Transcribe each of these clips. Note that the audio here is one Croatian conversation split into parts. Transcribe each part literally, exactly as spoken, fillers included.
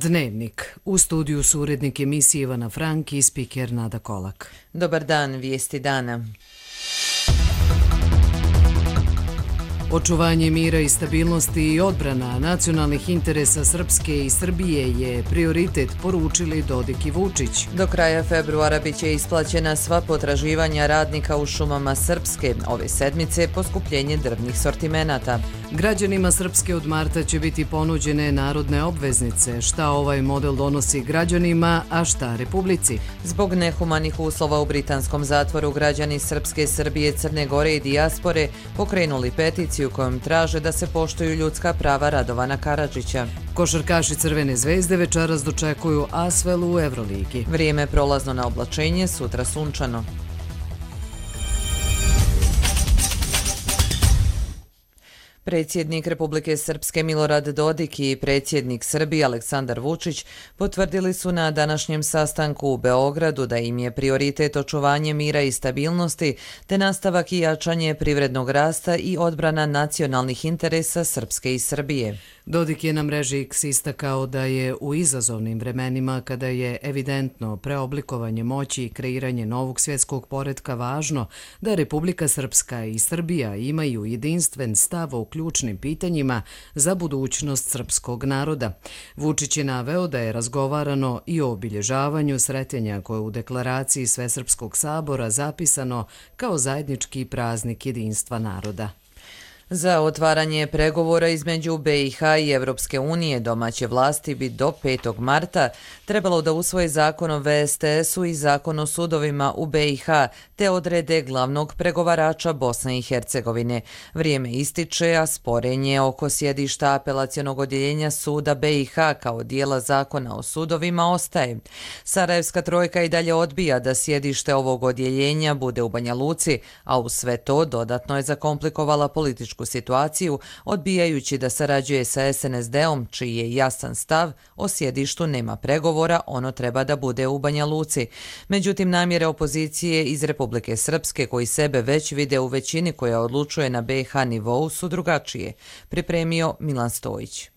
Dnevnik. U studiju su urednik emisije Ivana Frank i spiker Nada Kolak. Dobar dan, vijesti dana. Očuvanje mira i stabilnosti i odbrana nacionalnih interesa Srpske i Srbije je prioritet, poručili Dodik i Vučić. Do kraja februara biće isplaćena sva potraživanja radnika u šumama Srpske. Ove sedmice poskupljenje drvnih sortimenata. Građanima Srpske od marta će biti ponuđene narodne obveznice. Šta ovaj model donosi građanima, a šta Republici? Zbog nehumanih uslova u britanskom zatvoru, građani Srpske, Srbije, Crne Gore i dijaspore pokrenuli peticiju kojom traže da se poštuju ljudska prava Radovana Karadžića. Košarkaši Crvene zvezde večeras dočekuju Asvel u Evroligi. Vrijeme prolazno na oblačenje, sutra sunčano. Predsjednik Republike Srpske Milorad Dodik i predsjednik Srbije Aleksandar Vučić potvrdili su na današnjem sastanku u Beogradu da im je prioritet očuvanje mira i stabilnosti te nastavak i jačanje privrednog rasta i odbrana nacionalnih interesa Srpske i Srbije. Dodik je na mreži X istakao da je u izazovnim vremenima, kada je evidentno preoblikovanje moći i kreiranje novog svjetskog poretka važno, da Republika Srpska i Srbija imaju jedinstven stav o ključnim pitanjima za budućnost srpskog naroda. Vučić je naveo da je razgovarano i o obilježavanju sretenja koje je u deklaraciji Svesrpskog sabora zapisano kao zajednički praznik jedinstva naroda. Za otvaranje pregovora između B i H i Evropske unije domaće vlasti bi do petog marta trebalo da usvoje zakon o V S T S-u i zakon o sudovima u B i H te odrede glavnog pregovarača Bosne i Hercegovine. Vrijeme ističe, a sporenje oko sjedišta apelacionog odjeljenja suda B i H kao dijela zakona o sudovima ostaje. Sarajevska trojka i dalje odbija da sjedište ovog odjeljenja bude u Banja Luci, a uz sve to dodatno je zakomplikovala političku situaciju, odbijajući da sarađuje sa S N S D-om, čiji je jasan stav o sjedištu nema pregovora, ono treba da bude u Banja Luci. Međutim, namjere opozicije iz Republike Srpske, koji sebe već vide u većini koja odlučuje na B i H nivou, su drugačije. Pripremio Milan Stojić.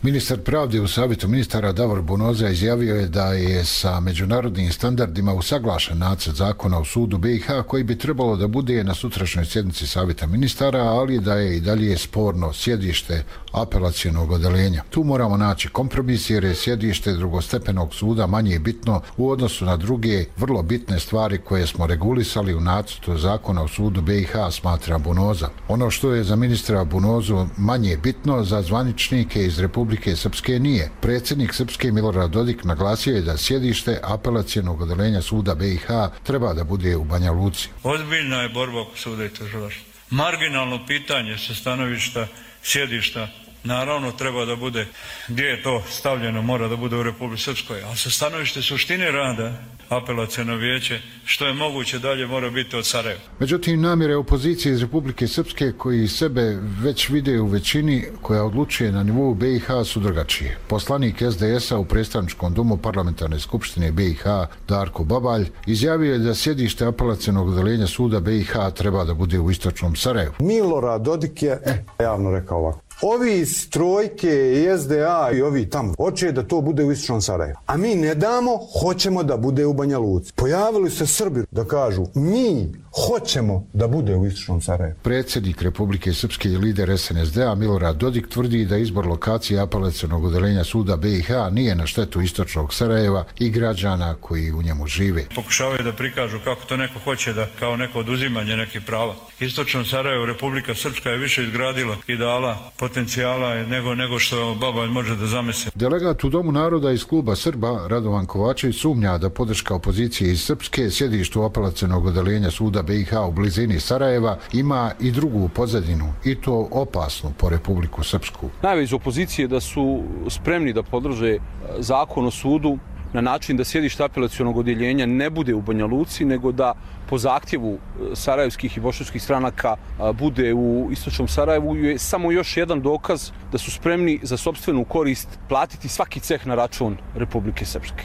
Ministar pravde u Savjetu ministara Davor Bonoza izjavio je da je sa međunarodnim standardima usaglašen nacrt zakona o sudu B i H koji bi trebalo da bude na sutrašnjoj sjednici Savjeta ministara, ali da je i dalje sporno sjedište apelacionog odeljenja. Tu moramo naći kompromis jer je sjedište drugostepenog suda manje bitno u odnosu na druge vrlo bitne stvari koje smo regulisali u nacrtu zakona o sudu B i H, smatra Bonoza. Ono što je za ministra Bonozu manje bitno, za zvaničnike iz Republike Republike Srpske nije. Predsjednik Srpske Milorad Dodik naglasio je da sjedište apelacionog odeljenja suda B i H treba da bude u Banja Luci. Ozbiljna je borba oko suda i tužilaštva. Marginalno pitanje sa stanovišta sjedišta naravno treba da bude, gdje je to stavljeno, mora da bude u Republici Srpskoj, ali sa stanovište suštine rada apelaciono vijeće, što je moguće dalje, mora biti od Sarajeva. Međutim, namjere opozicije iz Republike Srpske, koji sebe već vide u većini koja odlučuje na nivou B i H, su drugačije. Poslanik S D S-a u predstavničkom domu parlamentarne skupštine B i H, Darko Babalj, izjavio je da sjedište apelacionog odeljenja suda B i H treba da bude u istočnom Sarajevu. Milorad Dodik je eh, javno rekao ovako. Ovi iz trojke i S D A i ovi tamo hoće da to bude u istočnom Sarajevu. A mi ne damo, hoćemo da bude u Banja Luci. Pojavili se Srbi da kažu mi hoćemo da bude u istočnom Sarajevu. Predsjednik Republike Srpske i lider S N S D-a Milorad Dodik tvrdi da izbor lokacije apelacionog odeljenja suda B i H nije na štetu istočnog Sarajeva i građana koji u njemu žive. Pokušavaju da prikažu kako to neko hoće, da kao neko oduzimanje nekih prava. Istočno Sarajevo, Republika Srpska je više izgradila i dala potencijala nego, nego što Babalj može da zamisli. Delegat u Domu naroda iz kluba Srba Radovan Kovačević sumnja da podrška opozicije iz Srpske sjedištu apelacionog odeljenja suda B i H u blizini Sarajeva ima i drugu pozadinu, i to opasnu po Republiku Srpsku. Najave iz opozicije da su spremni da podrže zakon o sudu na način da sjedište apelacionog odjeljenja ne bude u Banja Luci, nego da po zahtjevu sarajevskih i bošnjačkih stranaka bude u istočnom Sarajevu, je samo još jedan dokaz da su spremni za sopstvenu korist platiti svaki ceh na račun Republike Srpske.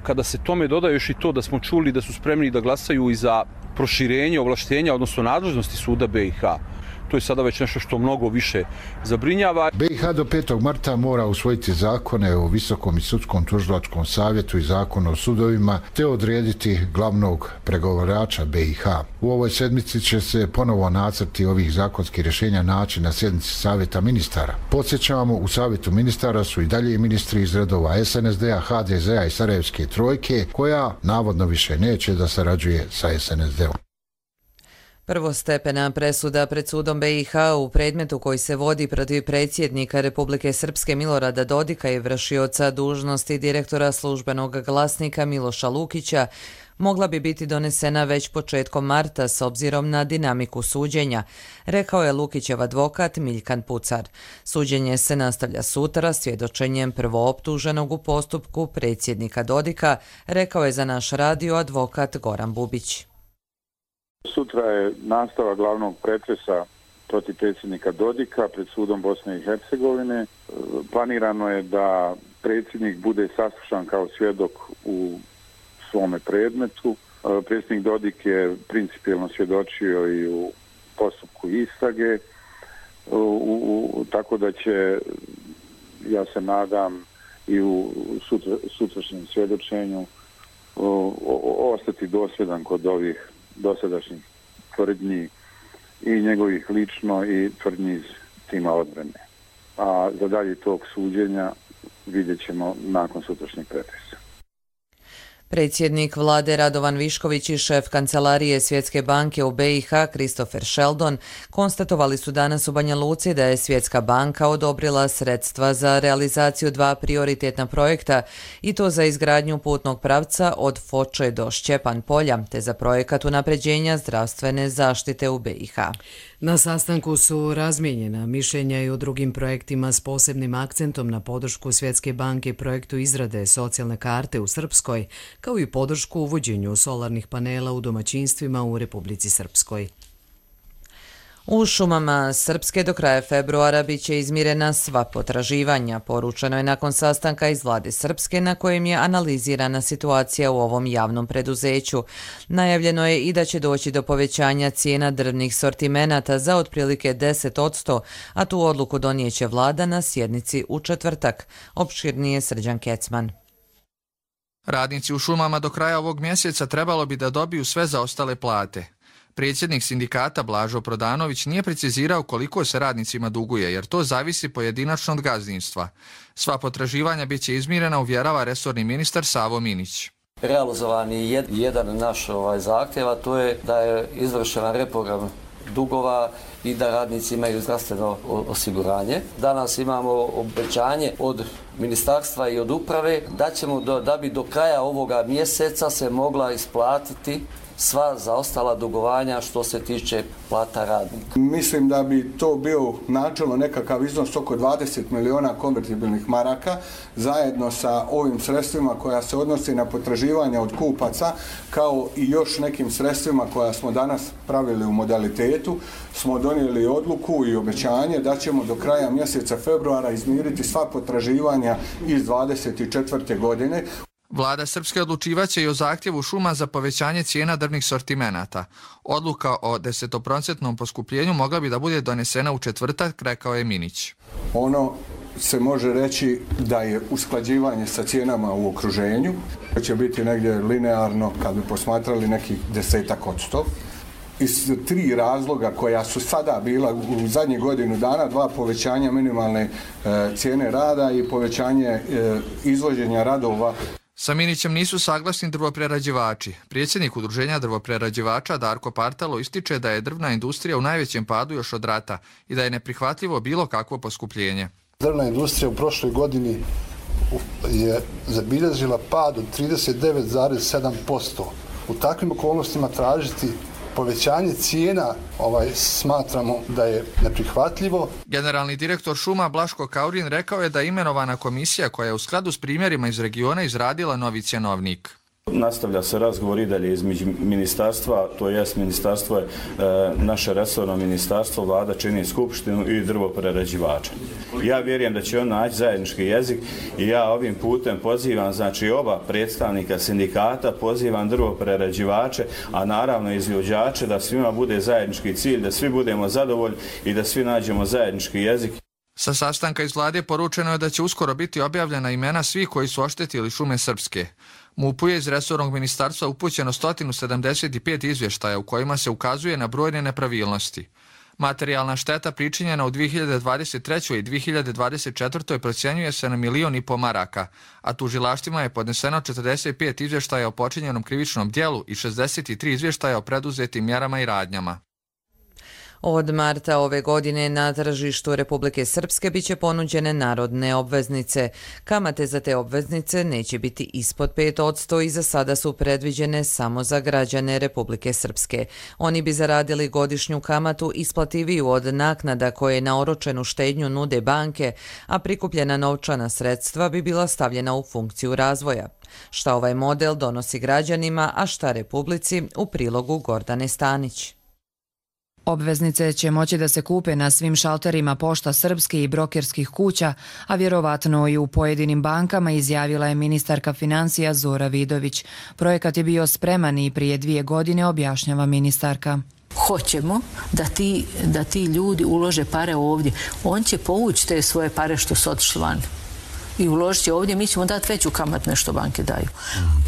Kada se tome doda još i to da smo čuli da su spremni da glasaju i za proširenje ovlaštenja, odnosno nadležnosti suda B i H, to je sada već nešto što mnogo više zabrinjava. B i H do petog marta mora usvojiti zakone o Visokom i sudskom tužilačkom savjetu i zakon o sudovima, te odrediti glavnog pregovarača B i H. U ovoj sedmici će se ponovo nacrti ovih zakonskih rješenja naći na sjednici Savjeta ministara. Podsjećamo, u Savjetu ministara su i dalje ministri iz redova S N S D-a, H D Z-a i Sarajevske trojke, koja navodno više neće da sarađuje sa S N S D-om. Prvostepena presuda pred sudom B i H u predmetu koji se vodi protiv predsjednika Republike Srpske Milorada Dodika i vršioca dužnosti direktora službenog glasnika Miloša Lukića mogla bi biti donesena već početkom marta s obzirom na dinamiku suđenja, rekao je Lukićev advokat Miljkan Pucar. Suđenje se nastavlja sutra svjedočenjem prvooptuženog u postupku predsjednika Dodika, rekao je za naš radio advokat Goran Bubić. Sutra je nastava glavnog pretresa protiv predsjednika Dodika pred sudom Bosne i Hercegovine. Planirano je da predsjednik bude saslušan kao svjedok u svome predmetu. Predsjednik Dodik je principijelno svjedočio i u postupku istrage, u, u, tako da će, ja se nadam, i u sutra, sutrašnjem svjedočenju o, o, ostati dosljedan kod ovih dosadašnjih tvrdnji i njegovih lično i tvrdnji iz tima odbrane. A za dalje tog suđenja vidjet ćemo nakon sutrašnjeg pretresa. Predsjednik vlade Radovan Višković i šef kancelarije Svjetske banke u B i H Christopher Sheldon konstatovali su danas u Banja Luci da je Svjetska banka odobrila sredstva za realizaciju dva prioritetna projekta i to za izgradnju putnog pravca od Foče do Šćepan polja te za projekat unapređenja zdravstvene zaštite u B i H. Na sastanku su razmijenjena mišljenja i o drugim projektima s posebnim akcentom na podršku Svjetske banke projektu izrade socijalne karte u Srpskoj, kao i podršku uvođenju solarnih panela u domaćinstvima u Republici Srpskoj. U šumama Srpske do kraja februara biće izmirena sva potraživanja, poručeno je nakon sastanka iz vlade Srpske na kojem je analizirana situacija u ovom javnom preduzeću. Najavljeno je i da će doći do povećanja cijena drvnih sortimenata za otprilike deset posto, a tu odluku donijeće vlada na sjednici u četvrtak. Opširnije Srđan Kecman. Radnici u šumama do kraja ovog mjeseca trebalo bi da dobiju sve zaostale plate. Predsjednik sindikata Blažo Prodanović nije precizirao koliko se radnicima duguje, jer to zavisi pojedinačno od gazdinstva. Sva potraživanja biće izmirena, uvjerava resorni ministar Savo Minić. Realizovan je jedan naš ovaj zahtjev, a to je da je izvršena reprogram dugova i da radnici imaju zdravstveno osiguranje. Danas imamo obećanje od ministarstva i od uprave da ćemo do, da bi do kraja ovoga mjeseca se mogla isplatiti sva zaostala dugovanja što se tiče plata radnika. Mislim da bi to bio načelno nekakav iznos oko dvadeset miliona konvertibilnih maraka zajedno sa ovim sredstvima koja se odnosi na potraživanja od kupaca, kao i još nekim sredstvima koja smo danas pravili u modalitetu. Smo donijeli odluku i obećanje da ćemo do kraja mjeseca februara izmiriti sva potraživanja iz dvadeset četvrte godine. Vlada Srpske odlučivaće i o zahtjevu šuma za povećanje cijena drvnih sortimenata. Odluka o desetoprocentnom poskupljenju mogla bi da bude donesena u četvrtak, rekao je Minić. Ono se može reći da je usklađivanje sa cijenama u okruženju. To će biti negdje linearno, kad bi posmatrali nekih desetak od sto. Iz tri razloga koja su sada bila u zadnjih godinu dana, dva povećanja minimalne e, cijene rada i povećanje e, izvođenja radova. Sa Minićem nisu saglasni drvoprerađivači. Predsjednik udruženja drvoprerađivača Darko Partalo ističe da je drvna industrija u najvećem padu još od rata i da je neprihvatljivo bilo kakvo poskupljenje. Drvna industrija u prošloj godini je zabilježila pad od trideset devet zarez sedam posto. U takvim okolnostima tražiti povećanje cijena ovaj, smatramo da je neprihvatljivo. Generalni direktor šuma Blaško Kaurin rekao je da je imenovana komisija koja je u skladu s primjerima iz regiona izradila novi cjenovnik. Nastavlja se razgovor i dalje između ministarstva, to jest ministarstvo je e, naše resorno ministarstvo, vlada čini skupštinu i drvoprerađivača. Ja vjerujem da će on naći zajednički jezik i ja ovim putem pozivam, znači oba predstavnika sindikata, pozivam drvoprerađivače, a naravno izvođače da svima bude zajednički cilj, da svi budemo zadovoljni i da svi nađemo zajednički jezik. Sa sastanka iz vlade poručeno je da će uskoro biti objavljena imena svih koji su oštetili šume srpske. MUP-u je iz resornog ministarstva upućeno sto sedamdeset pet izvještaja u kojima se ukazuje na brojne nepravilnosti. Materijalna šteta pričinjena u dvije hiljade dvadeset trećoj i dvije hiljade dvadeset četvrtoj procjenjuje se na milion i po maraka, a tužilaštvima je podneseno četrdeset pet izvještaja o počinjenom krivičnom djelu i šezdeset tri izvještaja o preduzetim mjerama i radnjama. Od marta ove godine na tržištu Republike Srpske biće ponuđene narodne obveznice. Kamate za te obveznice neće biti ispod pet posto i za sada su predviđene samo za građane Republike Srpske. Oni bi zaradili godišnju kamatu isplativiju od naknada koje na oročenu štednju nude banke, a prikupljena novčana sredstva bi bila stavljena u funkciju razvoja. Šta ovaj model donosi građanima, a šta Republici, u prilogu Gordane Stanić. Obveznice će moći da se kupe na svim šalterima Pošta Srpske i brokerskih kuća, a vjerovatno i u pojedinim bankama, izjavila je ministarka financija Zora Vidović. Projekat je bio spreman i prije dvije godine, objašnjava ministarka. Hoćemo da ti, da ti ljudi ulože pare ovdje. On će povući te svoje pare što su otišli van i uložit će ovdje, mi ćemo dati veću kamat nešto banke daju.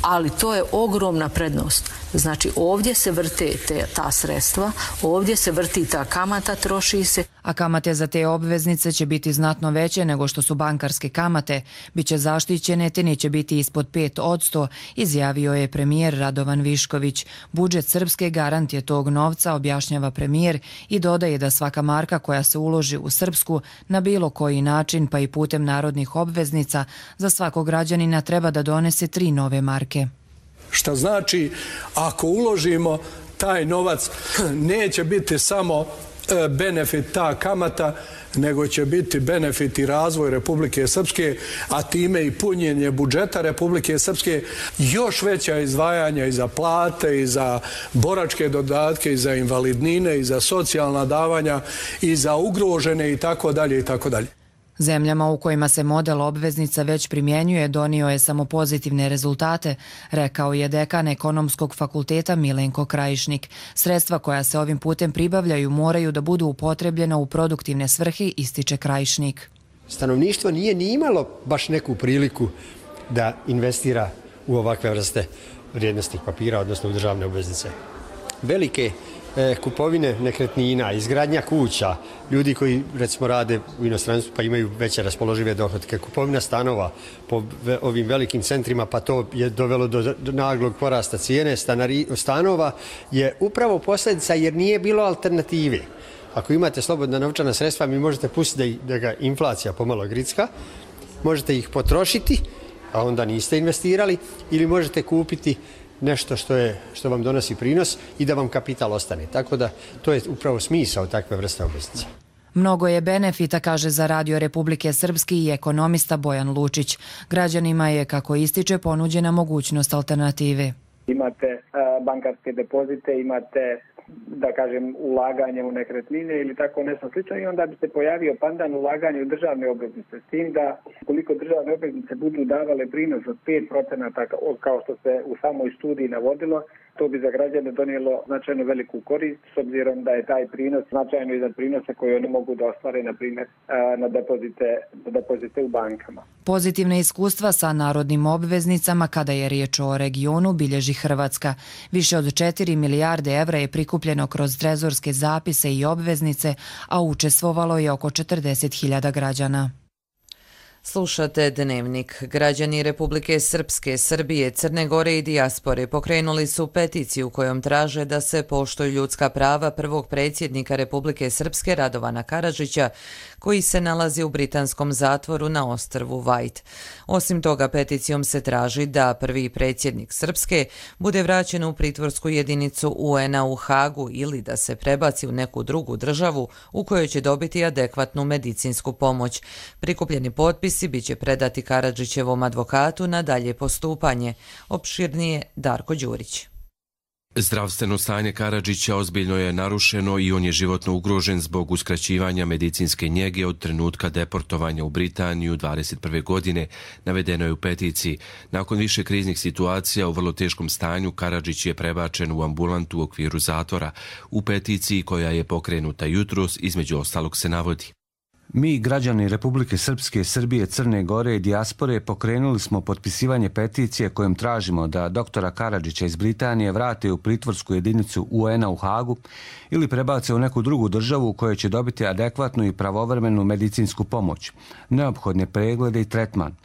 Ali to je ogromna prednost. Znači ovdje se vrte te, ta sredstva, ovdje se vrti ta kamata, troši se. A kamate za te obveznice će biti znatno veće nego što su bankarske kamate. Biće zaštićene te neće biti ispod pet posto, izjavio je premijer Radovan Višković. Budžet Srpske garant je tog novca, objašnjava premijer i dodaje da svaka marka koja se uloži u Srpsku na bilo koji način, pa i putem narodnih obveznica, za svakog građanina treba da donese tri nove marke. Šta znači, ako uložimo taj novac, neće biti samo benefit ta kamata, nego će biti benefit i razvoj Republike Srpske, a time i punjenje budžeta Republike Srpske, još veća izdvajanja i za plate, i za boračke dodatke, i za invalidnine, i za socijalna davanja, i za ugrožene i tako dalje i tako dalje. Zemljama u kojima se model obveznica već primjenjuje donio je samo pozitivne rezultate, rekao je dekan Ekonomskog fakulteta Milenko Krajišnik. Sredstva koja se ovim putem pribavljaju moraju da budu upotrebljena u produktivne svrhe, ističe Krajišnik. Stanovništvo nije ni imalo baš neku priliku da investira u ovakve vrste vrijednosnih papira, odnosno u državne obveznice. Velike kupovine nekretnina, izgradnja kuća, ljudi koji recimo rade u inostranstvu pa imaju veće raspoložive dohotke, kupovina stanova po ovim velikim centrima, pa to je dovelo do naglog porasta cijene stanari, stanova, je upravo posljedica jer nije bilo alternative. Ako imate slobodna novčana sredstva, mi možete pustiti da, da ga inflacija pomalo gricka, možete ih potrošiti, a onda niste investirali, ili možete kupiti nešto što je što vam donosi prinos i da vam kapital ostane. Tako da to je upravo smisao takve vrste obveznice. Mnogo je benefita, kaže za Radio Republike Srpske i ekonomista Bojan Lučić. Građanima je, kako ističe, ponuđena mogućnost alternative. Imate uh, bankarske depozite, imate, da kažem, ulaganje u nekretnine ili tako nešto slično i onda bi se pojavio pandan ulaganje u državne obveznice. S tim da koliko državne obveznice budu davale prinos od pet procenata kao što se u samoj studiji navodilo, to bi za građane donijelo značajno veliku korist s obzirom da je taj prinos značajno iznad prinosa koje oni mogu da ostvare, na primjer, na depozite, na depozite u bankama. Pozitivne iskustva sa narodnim obveznicama kada je riječ o regionu bilježi Hrvatska. Više od četiri milijarde evra je prikupljeno kroz trezorske zapise i obveznice, a učestvovalo je oko četrdeset hiljada građana. Slušate Dnevnik. Građani Republike Srpske, Srbije, Crne Gore i dijaspore pokrenuli su peticiju kojom traže da se poštuju ljudska prava prvog predsjednika Republike Srpske Radovana Karadžića, koji se nalazi u britanskom zatvoru na ostrvu White. Osim toga, peticijom se traži da prvi predsjednik Srpske bude vraćen u pritvorsku jedinicu U N-a u Hagu ili da se prebaci u neku drugu državu u kojoj će dobiti adekvatnu medicinsku pomoć. Prikupljeni potpisi Potpisi biće predati Karadžićevom advokatu na dalje postupanje. Opširnije Darko Đurić. Zdravstveno stanje Karadžića ozbiljno je narušeno i on je životno ugrožen zbog uskraćivanja medicinske njege od trenutka deportovanja u Britaniju dvadeset prve godine, navedeno je u peticiji. Nakon više kriznih situacija u vrlo teškom stanju, Karadžić je prebačen u ambulantu u okviru zatvora. U peticiji koja je pokrenuta jutros, između ostalog se navodi: Mi, građani Republike Srpske, Srbije, Crne Gore i dijaspore, pokrenuli smo potpisivanje peticije kojom tražimo da doktora Karadžića iz Britanije vrate u pritvorsku jedinicu U N-a u Hagu ili prebace u neku drugu državu u kojoj će dobiti adekvatnu i pravovremenu medicinsku pomoć, neophodne preglede i tretman,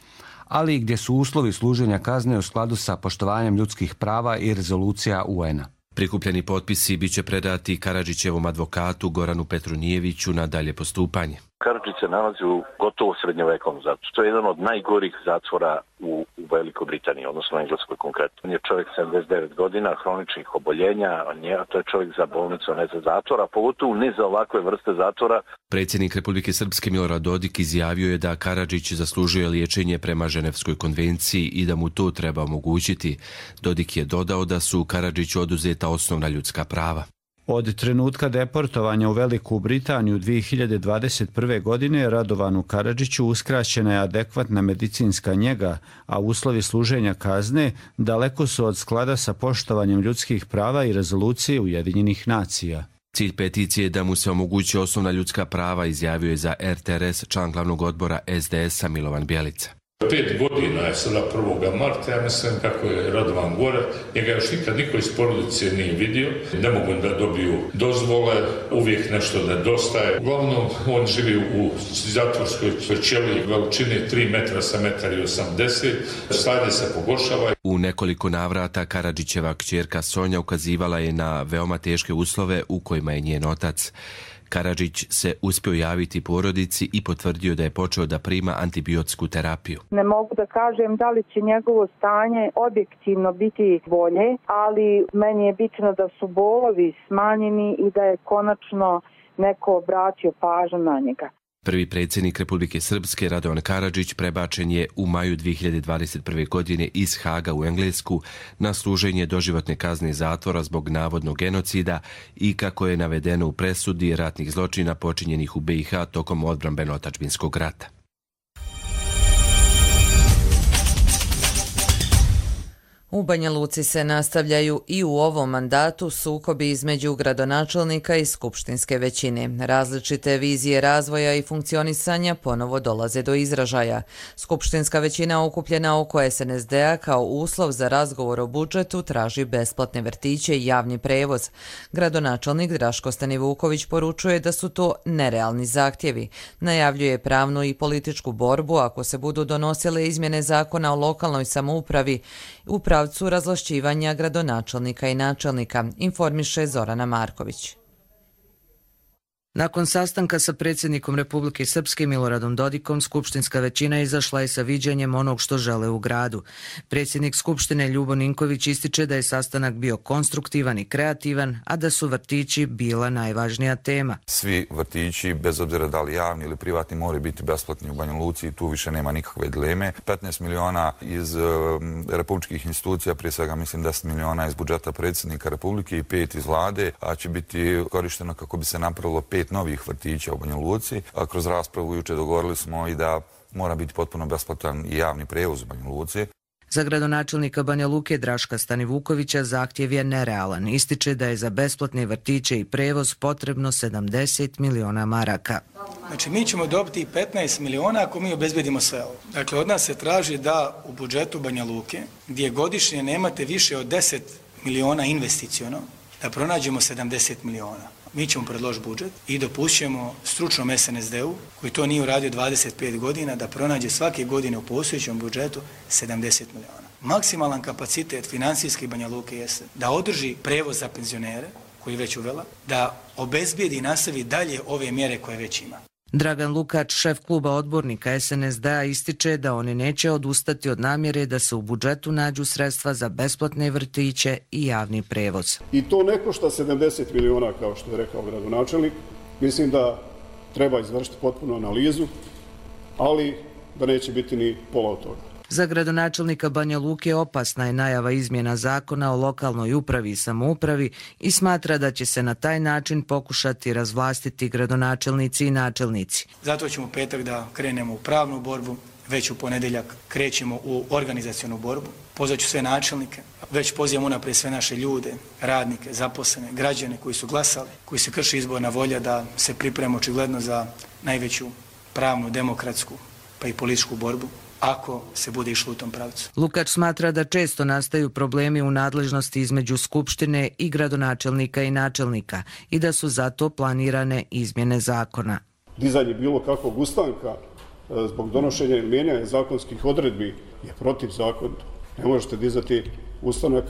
ali i gdje su uslovi služenja kazne u skladu sa poštovanjem ljudskih prava i rezolucija U N-a. Prikupljeni potpisi biće predati Karadžićevom advokatu Goranu Petrunijeviću na dalje postupanje. Karadžić se nalazi u gotovo srednjovekovnom zatvoru. To je jedan od najgorih zatvora u, u Velikoj Britaniji, odnosno u Engleskoj konkretno. On je čovjek sedamdeset devet godina, hroničnih oboljenja, on je, to je čovjek za bolnicu, ne za zatvora, pogotovo ne za ovakve vrste zatvora. Predsjednik Republike Srpske Milorad Dodik izjavio je da Karadžić zaslužuje liječenje prema Ženevskoj konvenciji i da mu to treba omogućiti. Dodik je dodao da su Karadžiću oduzeta osnovna ljudska prava. Od trenutka deportovanja u Veliku Britaniju dvije hiljade dvadeset prve. godine Radovanu Karadžiću uskraćena je adekvatna medicinska njega, a uslovi služenja kazne daleko su od sklada sa poštovanjem ljudskih prava i rezolucije Ujedinjenih nacija. Cilj peticije je da mu se omogući osnovna ljudska prava, izjavio je za R T R S član glavnog odbora S D S-a Milovan Bjelica. Pet godina je sada prvog marta, ja mislim kako je Radovan gore, njega još nikad niko iz porodice nije vidio, ne mogu da dobiju dozvole, uvijek nešto nedostaje. Uglavnom, on živi u zatvorskoj ćeliji veličine tri metra sa metar i osamdeset, stanje se pogoršava. U nekoliko navrata Karadžićeva kćerka Sonja ukazivala je na veoma teške uslove u kojima je njen otac. Karadžić se uspio javiti porodici i potvrdio da je počeo da prima antibiotsku terapiju. Ne mogu da kažem da li će njegovo stanje objektivno biti bolje, ali meni je bitno da su bolovi smanjeni i da je konačno neko obratio pažnju na njega. Prvi predsjednik Republike Srpske Radovan Karadžić prebačen je u maju dvije hiljade dvadeset prve. godine iz Haga u Englesku na služenje doživotne kazne zatvora zbog navodnog genocida i, kako je navedeno u presudi, ratnih zločina počinjenih u B i H tokom odbrambeno-otadžbinskog rata. U Banja Luci se nastavljaju i u ovom mandatu sukobi između gradonačelnika i skupštinske većine. Različite vizije razvoja i funkcionisanja ponovo dolaze do izražaja. Skupštinska većina okupljena oko S N S D-a kao uslov za razgovor o budžetu traži besplatne vrtiće i javni prevoz. Gradonačelnik Draško Stanivuković poručuje da su to nerealni zahtjevi. Najavljuje pravnu i političku borbu ako se budu donosile izmjene zakona o lokalnoj samoupravi u pravcu razvlašćivanja gradonačelnika i načelnika, informiše Zorana Marković. Nakon sastanka sa predsjednikom Republike Srpske Miloradom Dodikom, skupštinska većina izašla je sa viđenjem onog što žele u gradu. Predsjednik Skupštine Ljubo Ninković ističe da je sastanak bio konstruktivan i kreativan, a da su vrtići bila najvažnija tema. Svi vrtići, bez obzira da li javni ili privatni, moraju biti besplatni u Banja Luci i tu više nema nikakve dileme. petnaest miliona iz uh, republičkih institucija, prije svega mislim deset miliona iz budžeta predsjednika Republike i pet iz vlade, a će biti korišteno kako bi se napravilo pet novih vrtića u Banja Luci. A kroz raspravu juče dogovorili smo i da mora biti potpuno besplatan i javni prevoz u Banja Luci. Za gradonačelnika Banja Luke Draška Stanivukovića zahtjev je nerealan. Ističe da je za besplatne vrtiće i prevoz potrebno sedamdeset miliona maraka. Znači, mi ćemo dobiti petnaest miliona ako mi obezbedimo sve ovo. Dakle, od nas se traži da u budžetu Banja Luke, gdje godišnje nemate više od deset miliona investiciono, da pronađemo sedamdeset miliona. Mi ćemo predložiti budžet i dopušćemo stručnom S N S D-u, koji to nije uradio dvadeset pet godina, da pronađe svake godine u postojećem budžetu sedamdeset miliona. Maksimalan kapacitet finansijski Banja Luke jeste da održi prevoz za penzionere, koji je već uvela, da obezbijedi i nastavi dalje ove mjere koje već ima. Dragan Lukač, šef kluba odbornika S N S D-a, ističe da oni neće odustati od namjere da se u budžetu nađu sredstva za besplatne vrtiće i javni prevoz. I to ne košta sedamdeset miliona, kao što je rekao gradonačelnik. Mislim da treba izvršiti potpunu analizu, ali da neće biti ni pola od toga. Za gradonačelnika Banja Luke opasna je najava izmjena zakona o lokalnoj upravi i samoupravi i smatra da će se na taj način pokušati razvlastiti gradonačelnici i načelnici. Zato ćemo petak da krenemo u pravnu borbu, već u ponedjeljak krećemo u organizacionu borbu. Pozvaću sve načelnike, već pozivam unaprijed sve naše ljude, radnike, zaposlene, građane koji su glasali, koji se krši izborna volja da se pripremimo očigledno za najveću pravnu, demokratsku pa i političku borbu, ako se bude išlo u tom pravcu. Lukač smatra da često nastaju problemi u nadležnosti između skupštine i gradonačelnika i načelnika i da su zato planirane izmjene zakona. Dizanje bilo kakvog ustanka zbog donošenja i mijenjanja zakonskih odredbi je protivzakonito. Ne možete dizati ustanak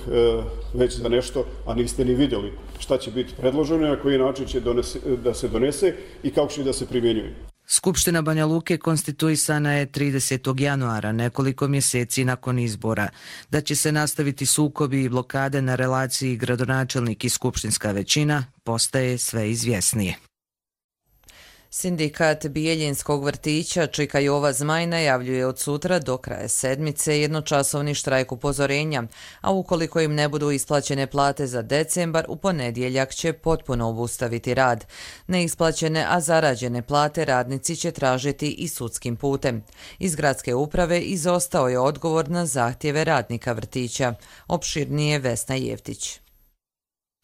već za nešto, a niste ni vidjeli šta će biti predloženo, na koji način će donese, da se donese i kako će da se primjenjuje. Skupština Banja Luke konstituisana je tridesetog januara, nekoliko mjeseci nakon izbora. Da će se nastaviti sukobi i blokade na relaciji gradonačelnik i skupštinska većina postaje sve izvjesnije. Sindikat Bijeljinskog vrtića Čika Jova Zmaj najavljuje od sutra do kraja sedmice jednočasovni štrajk upozorenja, a ukoliko im ne budu isplaćene plate za decembar, u ponedjeljak će potpuno obustaviti rad. Neisplaćene, a zarađene plate radnici će tražiti i sudskim putem. Iz gradske uprave izostao je odgovor na zahtjeve radnika vrtića. Opširnije Vesna Jeftić.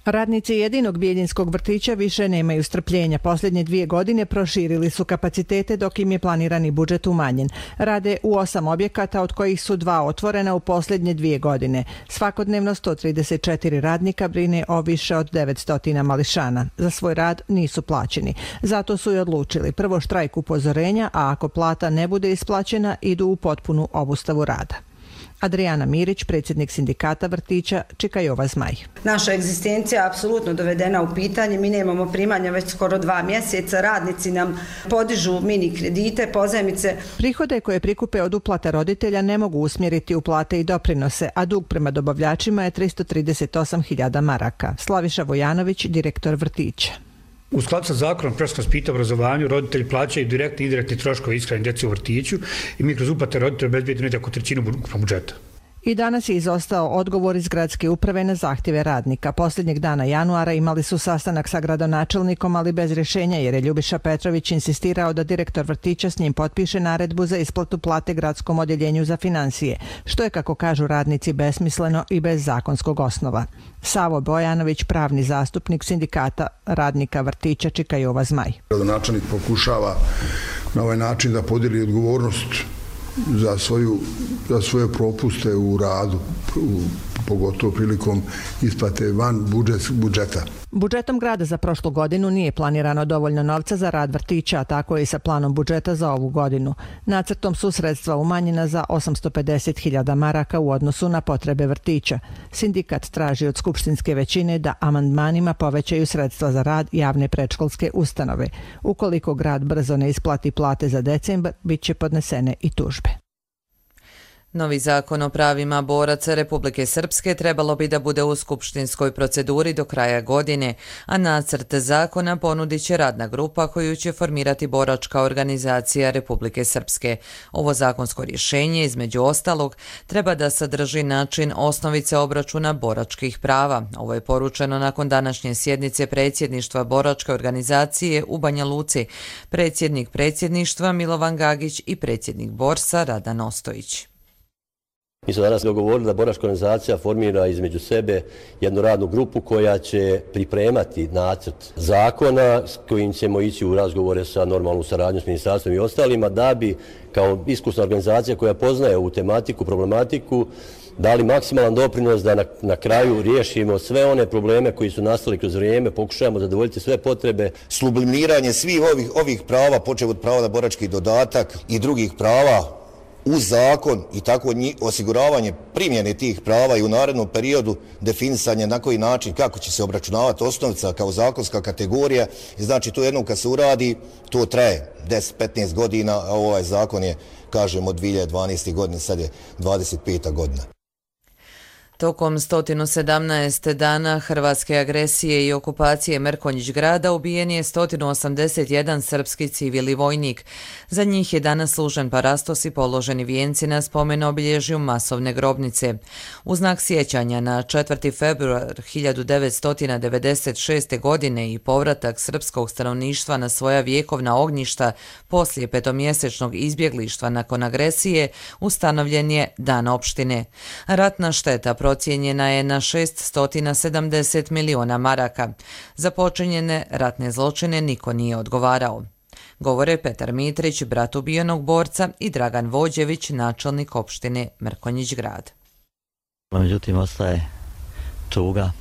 Radnici jedinog Bijeljinskog vrtića više nemaju strpljenja. Posljednje dvije godine proširili su kapacitete dok im je planirani budžet umanjen. Rade u osam objekata, od kojih su dva otvorena u posljednje dvije godine. Svakodnevno sto trideset četiri radnika brine o više od devetsto mališana. Za svoj rad nisu plaćeni. Zato su i odlučili prvo štrajk upozorenja, a ako plata ne bude isplaćena, idu u potpunu obustavu rada. Adriana Mirić, predsjednik sindikata vrtića Čika Jova Zmaj. Naša egzistencija je apsolutno dovedena u pitanje. Mi nemamo primanja već skoro dva mjeseca. Radnici nam podižu mini kredite, pozajmice. Prihode koje prikupe od uplata roditelja ne mogu usmjeriti u plate i doprinose, a dug prema dobavljačima je tristo trideset osam hiljada maraka. Slaviša Vojanović, direktor vrtića. U skladu sa zakonom predškolskom vaspitanju i obrazovanju roditelji plaćaju direktni i indirektni troškove ishrane djece u vrtiću i mi kroz uplate roditelja obezbedimo negdje oko trećinu ukupnog budžeta. I danas je izostao odgovor iz gradske uprave na zahtjeve radnika. Posljednjeg dana januara imali su sastanak sa gradonačelnikom, ali bez rješenja jer je Ljubiša Petrović insistirao da direktor vrtića s njim potpiše naredbu za isplatu plate gradskom odjeljenju za financije, što je, kako kažu radnici, besmisleno i bez zakonskog osnova. Savo Bojanović, pravni zastupnik sindikata radnika vrtića Čika Jova Zmaj. Gradonačelnik pokušava na ovaj način da podijeli odgovornost za, svoju, za svoje propuste u radu, u, pogotovo prilikom isplate van budžet, budžeta. Budžetom grada za prošlu godinu nije planirano dovoljno novca za rad vrtića, a tako je i sa planom budžeta za ovu godinu. Nacrtom su sredstva umanjena za osamsto pedeset hiljada maraka u odnosu na potrebe vrtića. Sindikat traži od skupštinske većine da amandmanima povećaju sredstva za rad javne predškolske ustanove. Ukoliko grad brzo ne isplati plate za decembar, bit će podnesene i tužbe. Novi zakon o pravima boraca Republike Srpske trebalo bi da bude u skupštinskoj proceduri do kraja godine, a nacrt zakona ponudit će radna grupa koju će formirati boračka organizacija Republike Srpske. Ovo zakonsko rješenje, između ostalog, treba da sadrži način osnovice obračuna boračkih prava. Ovo je poručeno nakon današnje sjednice predsjedništva boračke organizacije u Banja Luci, predsjednik predsjedništva Milovan Gagić i predsjednik Borsa Radan Ostojić. Mi smo danas dogovorili da boračka organizacija formira između sebe jednu radnu grupu koja će pripremati nacrt zakona s kojim ćemo ići u razgovore sa normalnom saradnjom s ministarstvom i ostalima da bi kao iskusna organizacija koja poznaje ovu tematiku, problematiku, dali maksimalan doprinos da na, na kraju riješimo sve one probleme koji su nastali kroz vrijeme, pokušajemo zadovoljiti sve potrebe. Sublimiranje svih ovih, ovih prava, počev od prava na borački dodatak i drugih prava uz zakon i tako osiguravanje primjene tih prava i u narednom periodu definisanje na koji način, kako će se obračunavati osnovica kao zakonska kategorija. Znači to jednom kad se uradi, to traje deset do petnaest godina, a ovaj zakon je, kažemo, od dvije hiljade dvanaeste. godine, sad je dvadeset peta godina. Tokom sto sedamnaest dana hrvatske agresije i okupacije Mrkonjić grada ubijen je sto osamdeset jedan srpski civil i vojnik. Za njih je danas služen parastos i položeni vijenci na spomen obilježju masovne grobnice. U znak sjećanja na četvrti februar hiljadu devetsto devedeset šeste. godine i povratak srpskog stanovništva na svoja vjekovna ognjišta poslije petomjesečnog izbjeglištva nakon agresije ustanovljen je Dan opštine. Ratna šteta procijenjena je na šesto sedamdeset miliona maraka. Za počinjene ratne zločine niko nije odgovarao. Govore Petar Mitrić, brat ubijenog borca, i Dragan Vođević, načelnik opštine Mrkonjić grad. Međutim, ostaje tuga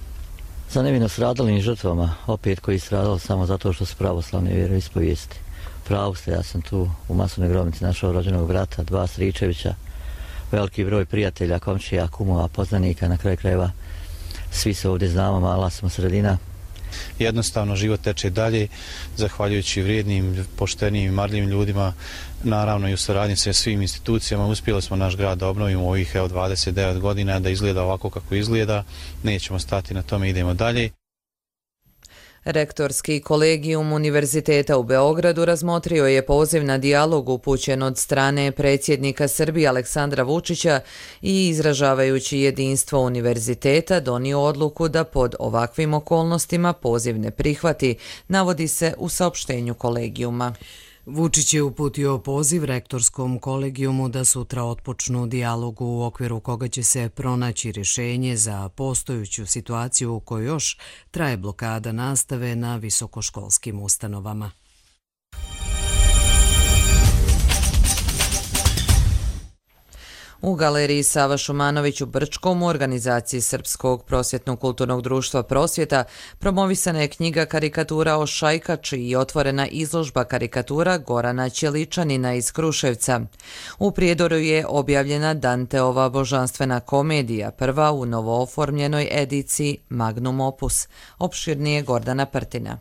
za nevino stradalim žrtvama, opet koji stradali samo zato što su pravoslavne vjeroispovijesti. Pravu ste, ja sam tu u masovnoj grobnici našao rođenog brata, dva Stričevića, veliki broj prijatelja, komšija, kumova, poznanika, na kraju krajeva svi se ovdje znamo, mala smo sredina. Jednostavno život teče dalje, zahvaljujući vrijednim, poštenim i marljivim ljudima, naravno i u saradnji sa svim institucijama. Uspjeli smo naš grad da obnovimo u ovih evo, dvadeset devet godina, da izgleda ovako kako izgleda. Nećemo stati na tome, idemo dalje. Rektorski kolegijum Univerziteta u Beogradu razmotrio je poziv na dijalog upućen od strane predsjednika Srbije Aleksandra Vučića i izražavajući jedinstvo univerziteta donio odluku da pod ovakvim okolnostima poziv ne prihvati, navodi se u saopštenju kolegijuma. Vučić je uputio poziv rektorskom kolegijumu da sutra otpočnu dijalog u okviru koga će se pronaći rješenje za postojuću situaciju u kojoj još traje blokada nastave na visokoškolskim ustanovama. U galeriji Sava Šumanović u Brčkom u organizaciji Srpskog prosvjetno-kulturnog društva Prosvjeta promovisana je knjiga karikatura o Šajkači i otvorena izložba karikatura Gorana Ćeličanina iz Kruševca. U Prijedoru je objavljena Danteova božanstvena komedija, prva u novooformljenoj ediciji Magnum Opus. Opširnije Gordana Prtina.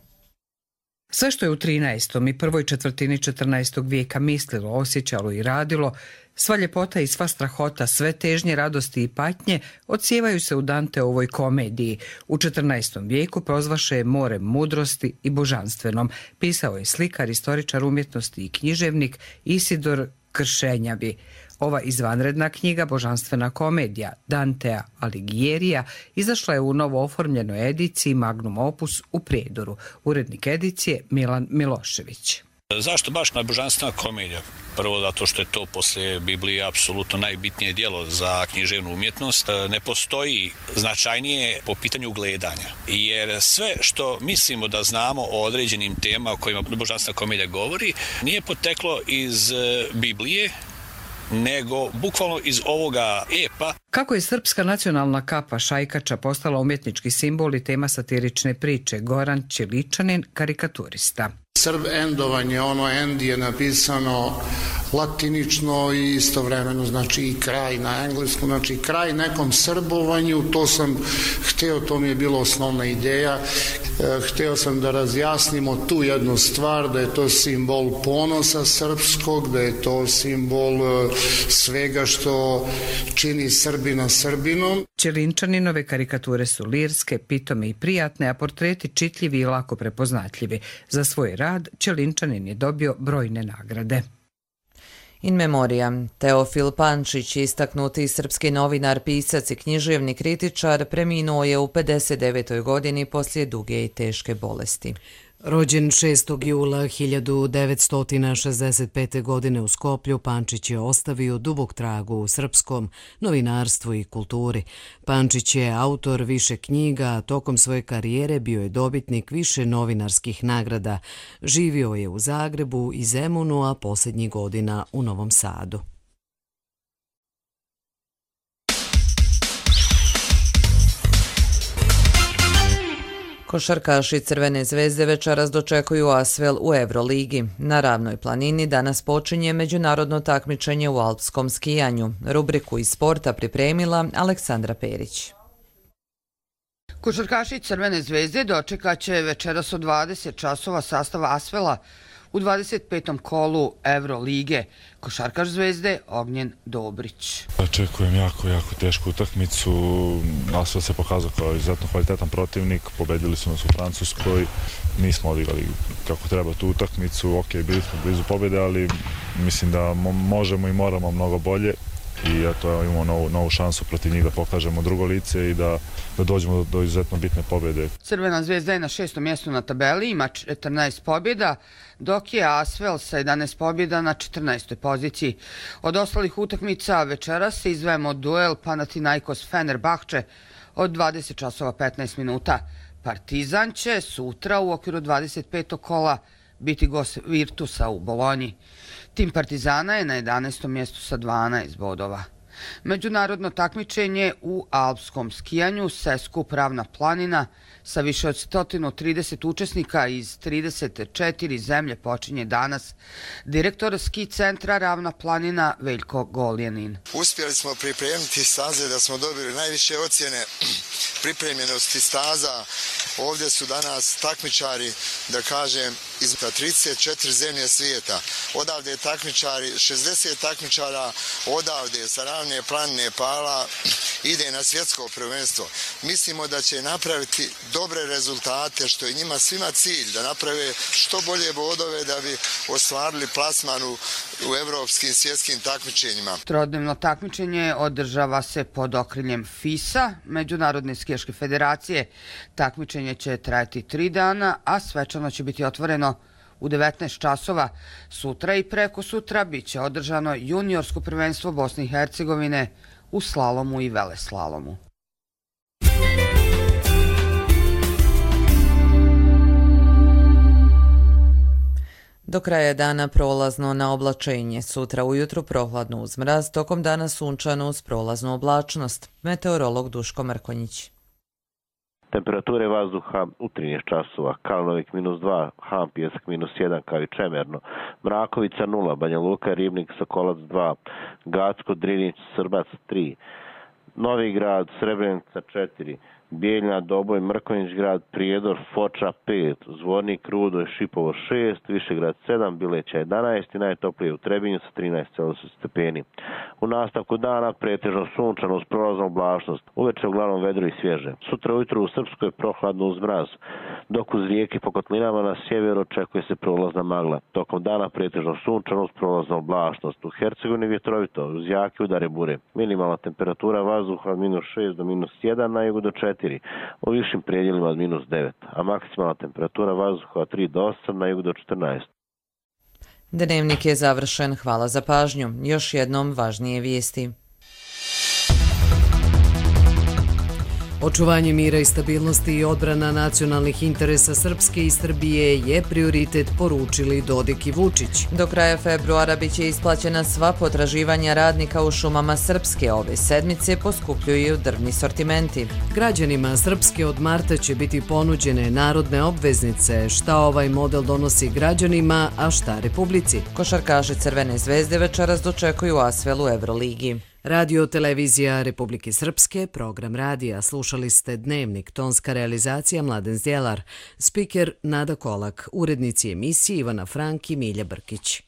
Sve što je u trinaestom i prvoj četvrtini četrnaestog vijeka mislilo, osjećalo i radilo, sva ljepota i sva strahota, sve težnje, radosti i patnje odsijevaju se u Danteovoj komediji. U četrnaestom vijeku prozvaše je morem mudrosti i božanstvenom. Pisao je slikar, istoričar umjetnosti i književnik Isidor Kršenjavi. Ova izvanredna knjiga, božanstvena komedija Dantea Alighiera, izašla je u novo oformljenoj ediciji Magnum Opus u Prijedoru. Urednik edicije Milan Milošević. Zašto baš na božanstvena komedija? Prvo zato što je to poslije Biblije apsolutno najbitnije djelo za književnu umjetnost. Ne postoji značajnije po pitanju gledanja. Jer sve što mislimo da znamo o određenim temama o kojima božanstvena komedija govori, nije poteklo iz Biblije, nego bukvalno iz ovoga epa. Kako je srpska nacionalna kapa Šajkača postala umjetnički simbol i tema satirične priče, Goran Ćeličanin, karikaturista. Srb endovanje, ono end je napisano latinično i istovremeno znači i kraj na engleskom, znači kraj nekom srbovanju, to sam hteo, to mi je bila osnovna ideja, hteo sam da razjasnimo tu jednu stvar, da je to simbol ponosa srpskog, da je to simbol svega što čini Srbina Srbinom. Ćelinčaninove karikature su lirske, pitome i prijatne, a portreti čitljivi i lako prepoznatljivi. Za svoj rad Ćelinčanin je dobio brojne nagrade. In memoriam, Teofil Pančić, istaknuti srpski novinar, pisac i književni kritičar, preminuo je u pedeset devetoj godini poslije duge i teške bolesti. Rođen šestog jula hiljadu devetsto šezdeset pete. godine u Skoplju, Pančić je ostavio dubok trag u srpskom novinarstvu i kulturi. Pančić je autor više knjiga, a tokom svoje karijere bio je dobitnik više novinarskih nagrada. Živio je u Zagrebu i Zemunu, a posljednjih godina u Novom Sadu. Košarkaši Crvene zvezde večeras dočekuju Asvel u Euroligi. Na Ravnoj planini danas počinje međunarodno takmičenje u alpskom skijanju. Rubriku iz sporta pripremila Aleksandra Perić. Košarkaši Crvene zvezde dočekaće večeras od dvadeset časova sastav Asvela U dvadeset petom kolu Evrolige košarkaš Zvezde Ognjen Dobrić. Očekujem jako, jako tešku utakmicu. Asvel se pokazao kao izuzetno kvalitetan protivnik. Pobedili su nas u Francuskoj. Nismo odigrali kako treba tu utakmicu. Ok, bili smo blizu pobjede, ali mislim da možemo i moramo mnogo bolje. I eto, imamo novu, novu šansu protiv njih da pokažemo drugo lice i da, da dođemo do, do izuzetno bitne pobjede. Crvena Zvezda je na šestom mjestu na tabeli, ima četrnaest pobjeda, dok je Asvel sa jedanaest pobjeda na četrnaestoj poziciji. Od ostalih utakmica večeras se izdvajamo duel Panathinaikos Fenerbahče od dvadeset časova petnaest minuta. Partizan će sutra u okviru dvadeset petog kola biti gost Virtusa u Bolonji. Tim Partizana je na jedanaestom mjestu sa dvanaest bodova. Međunarodno takmičenje u alpskom skijanju Seskup Ravna planina sa više od sto trideset učesnika iz trideset četiri zemlje počinje danas. Direktor ski centra Ravna planina Veljko Goljanin. Uspjeli smo pripremiti staze da smo dobili najviše ocjene pripremljenosti staza. Ovdje su danas takmičari, da kažem, iz trideset četiri zemlje svijeta. Odavde je takmičari, šezdeset takmičara odavde sa Ravne planine Pala ide na svjetsko prvenstvo. Mislimo da će napraviti dobre rezultate, što je njima svima cilj, da naprave što bolje bodove da bi ostvarili plasman u, u evropskim svjetskim takmičenjima. Trodnevno takmičenje održava se pod okriljem FIS-a, Međunarodne skijaške federacije. Takmičenje će trajati tri dana, a svečano će biti otvoreno u devetnaest časova. Sutra i preko sutra bit će održano juniorsko prvenstvo Bosne i Hercegovine u slalomu i veleslalomu. Do kraja dana prolazno na oblačenje, sutra ujutru prohladno uz mraz, tokom dana sunčano uz prolaznu oblačnost. Meteorolog Duško Mrkonjić. Temperature vazduha u trinaest časova, Kalnovik minus dva, Han Pjesak minus jedan kao i Čemerno, Mrakovica nula, Banja Luka, Ribnik, Sokolac dva, Gacko, Drinić, Srbac tri, Novi Grad, Srebrenica četiri, Bijeljna, Doboj, Mrkonjić grad, Prijedor, Foča pet, Zvornik, Rudo i Šipovo šest, Višegrad sedam, Bileća jedanaest i najtoplije u Trebinju sa trinaest stepeni. U nastavku dana pretežno sunčano uz prolaznu oblačnost, uveče uglavnom vedro i svježe. Sutra ujutro u Srpskoj prohladno uz mraz, dok uz rijeke po kotlinama na sjeveru očekuje se prolazna magla. Tokom dana pretežno sunčano uz prolaznu oblačnost. U Hercegovini vjetrovito uz jake udare bure. Minimalna temperatura vazduha od minus šest do minus jedan, na jugu do četiri, u višim predjelima od minus devet, a maksimalna temperatura vazduha od tri do osam, na jugu do četrnaest. Dnevnik je završen. Hvala za pažnju. Još jednom važnije vijesti. Očuvanje mira i stabilnosti i odbrana nacionalnih interesa Srpske i Srbije je prioritet, poručili Dodik i Vučić. Do kraja februara biće isplaćena sva potraživanja radnika u šumama Srpske. Ove sedmice poskupljuju drvni sortimenti. Građanima Srpske od marta će biti ponuđene narodne obveznice. Šta ovaj model donosi građanima, a šta Republici? Košarkaši Crvene zvezde večeras dočekuju Asvel u Evroligi. Radio Televizija Republike Srpske, program radija. Slušali ste Dnevnik, tonska realizacija Mladen Zdjelar, spiker Nada Kolak, urednici emisije Ivana Frank i Milja Brkić.